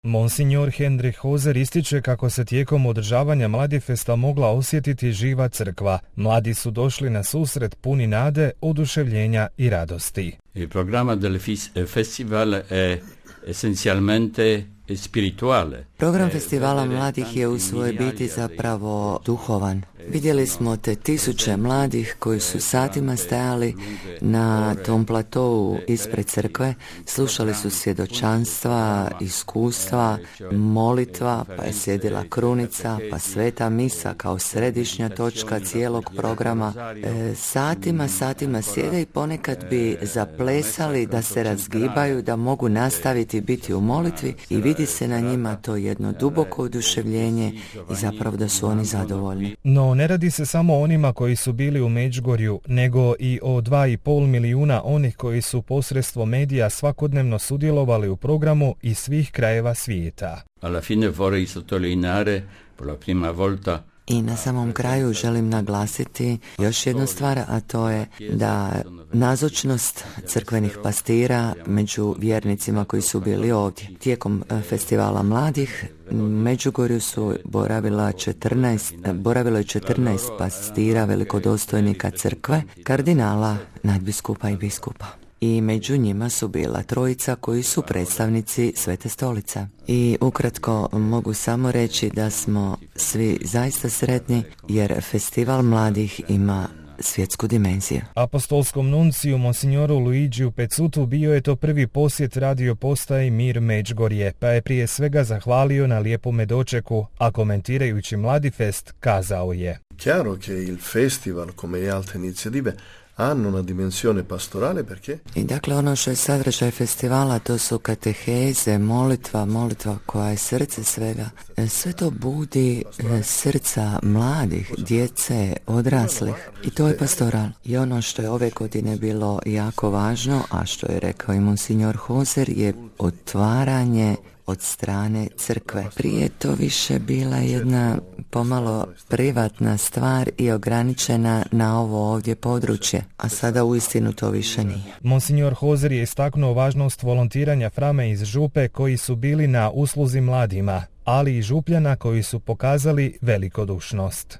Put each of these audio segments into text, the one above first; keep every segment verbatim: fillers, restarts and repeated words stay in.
Monsignor Hendrik Hoser ističe kako se tijekom održavanja Mladifesta mogla osjetiti živa crkva. Mladi su došli na susret puni nade, oduševljenja i radosti. Il programma del festival è essenzialmente spirituale. Program festivala mladih je u svojoj biti zapravo duhovan. Vidjeli smo te tisuće mladih koji su satima stajali na tom platovu ispred crkve, slušali su svjedočanstva, iskustva, molitva, pa je sjedila krunica, pa sveta misa kao središnja točka cijelog programa. E, satima, satima sjede i ponekad bi zaplesali da se razgibaju, da mogu nastaviti biti u molitvi i vidi se na njima to jedno duboko oduševljenje i zapravo da su oni zadovoljni. No ne radi se samo o onima koji su bili u Međugorju, nego i o dva i pol milijuna onih koji su posredstvom medija svakodnevno sudjelovali u programu iz svih krajeva svijeta. Alla fine vorrei sottolineare per la prima volta. I na samom kraju želim naglasiti još jednu stvar, a to je da nazočnost crkvenih pastira među vjernicima koji su bili ovdje. Tijekom festivala mladih u Međugorju su boravila četrnaest, boravilo je četrnaest pastira velikodostojnika crkve, kardinala, nadbiskupa i biskupa. I među njima su bila trojica koji su predstavnici Svete stolice. I ukratko mogu samo reći da smo svi zaista sretni jer festival mladih ima svjetsku dimenziju. Apostolskom nunciju monsignoru Luigiju Pezzutu bio je to prvi posjet radio postaji Mir Međugorje, pa je prije svega zahvalio na lijepome dočeku, a komentirajući Mladifest kazao je: Chiaro che il festival, come le altre iniziative, hanno una dimensione pastorale perché? I dakle ono što je sadržaj festivala to su kateheze, molitva, molitva koja je srce svega. Sve to budi srca mladih, djece, odraslih i to je pastoral. I ono što je ove godine bilo jako važno, a što je rekao i monsignor Hoser, je otvaranje od strane crkve. Prije to više bila jedna pomalo privatna stvar i ograničena na ovo ovdje područje, a sada uistinu to više nije. Monsignor Hoser je istaknuo važnost volontiranja frame iz Župe koji su bili na usluzi mladima, ali i Župljana koji su pokazali velikodušnost.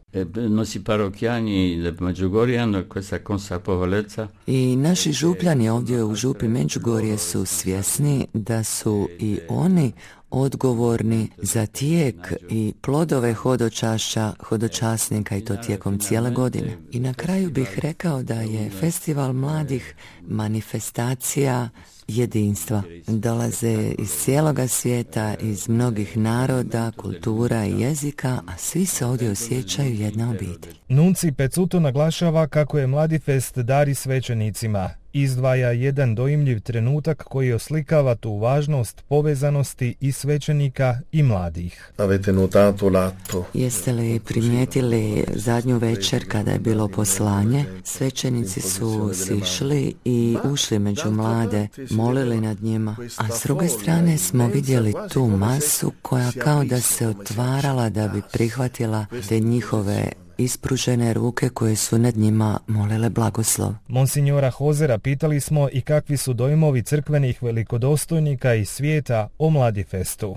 I naši Župljani ovdje u Župi Međugorje su svjesni da su i oni odgovorni za tijek i plodove hodočašća hodočasnika i to tijekom cijele godine. I na kraju bih rekao da je festival mladih manifestacija jedinstva. Dolaze iz cijeloga svijeta, iz mnogih naroda, kultura i jezika, a svi se ovdje osjećaju jedna obitelj. Nunci Pezzuto naglašava kako je Mladifest dar svećenicima. Izdvaja jedan dojmljiv trenutak koji oslikava tu važnost povezanosti i svećenika i mladih. Avete notato l'atto? Jeste li primijetili zadnju večer kada je bilo poslanje? Svećenici su sišli i ušli među mlade, molili nad njima, a s druge strane smo vidjeli tu masu koja kao da se otvarala da bi prihvatila te njihove ispružene ruke koje su nad njima molile blagoslov. Monsignora Hosera pitali smo i kakvi su dojmovi crkvenih velikodostojnika iz svijeta o Mladifestu.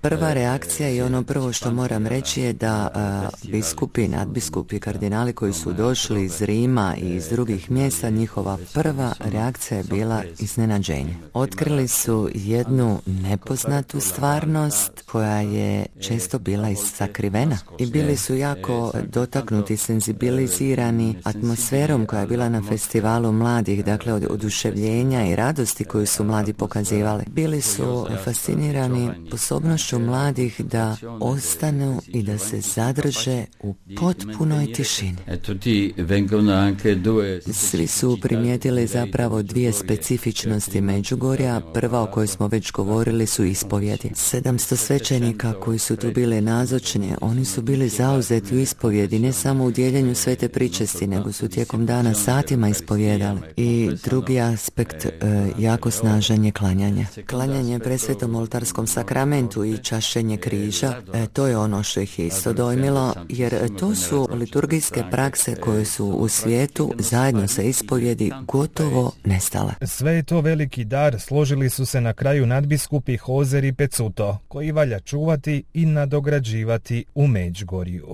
Prva reakcija i ono prvo što moram reći je da a, biskupi, nadbiskupi, kardinali koji su došli iz Rima i iz drugih mjesta, njihova prva reakcija je bila iznenađenje. Otkrili su jednu nepoznatu stvarnost koja je često bila sakrivena i bili su jako dotaknuti, senzibilizirani atmosferom koja je bila na festivalu mladih, dakle od oduševljenja i radosti koju su mladi pokazivali. Bili su fascinirani sposobnošću mladih da ostanu i da se zadrže u potpunoj tišini. Svi su primijetili zapravo dvije specifičnosti Međugorja. Prva o kojoj smo već govorili su ispovjedi. sedamsto svećenika koji su tu bili nazočni, oni su bili zauzeti u ispovjedi, ne samo u dijeljenju svete pričesti, nego su tijekom dana satima ispovjedali. I drugi aspekt, e, jako snažan je klanje klanjanje. Klanjanje presvetom oltarskom sakramentu i čašćenje križa, e, to je ono što ih je isto dojmilo, jer to su liturgijske prakse koje su u svijetu zajedno sa ispovjedi gotovo nestale. Sve je to veliki dar, složili su se na kraju nadbiskupi Hozer i Pezzuto, koji valja čuvati i nadograđivati u Međugorju.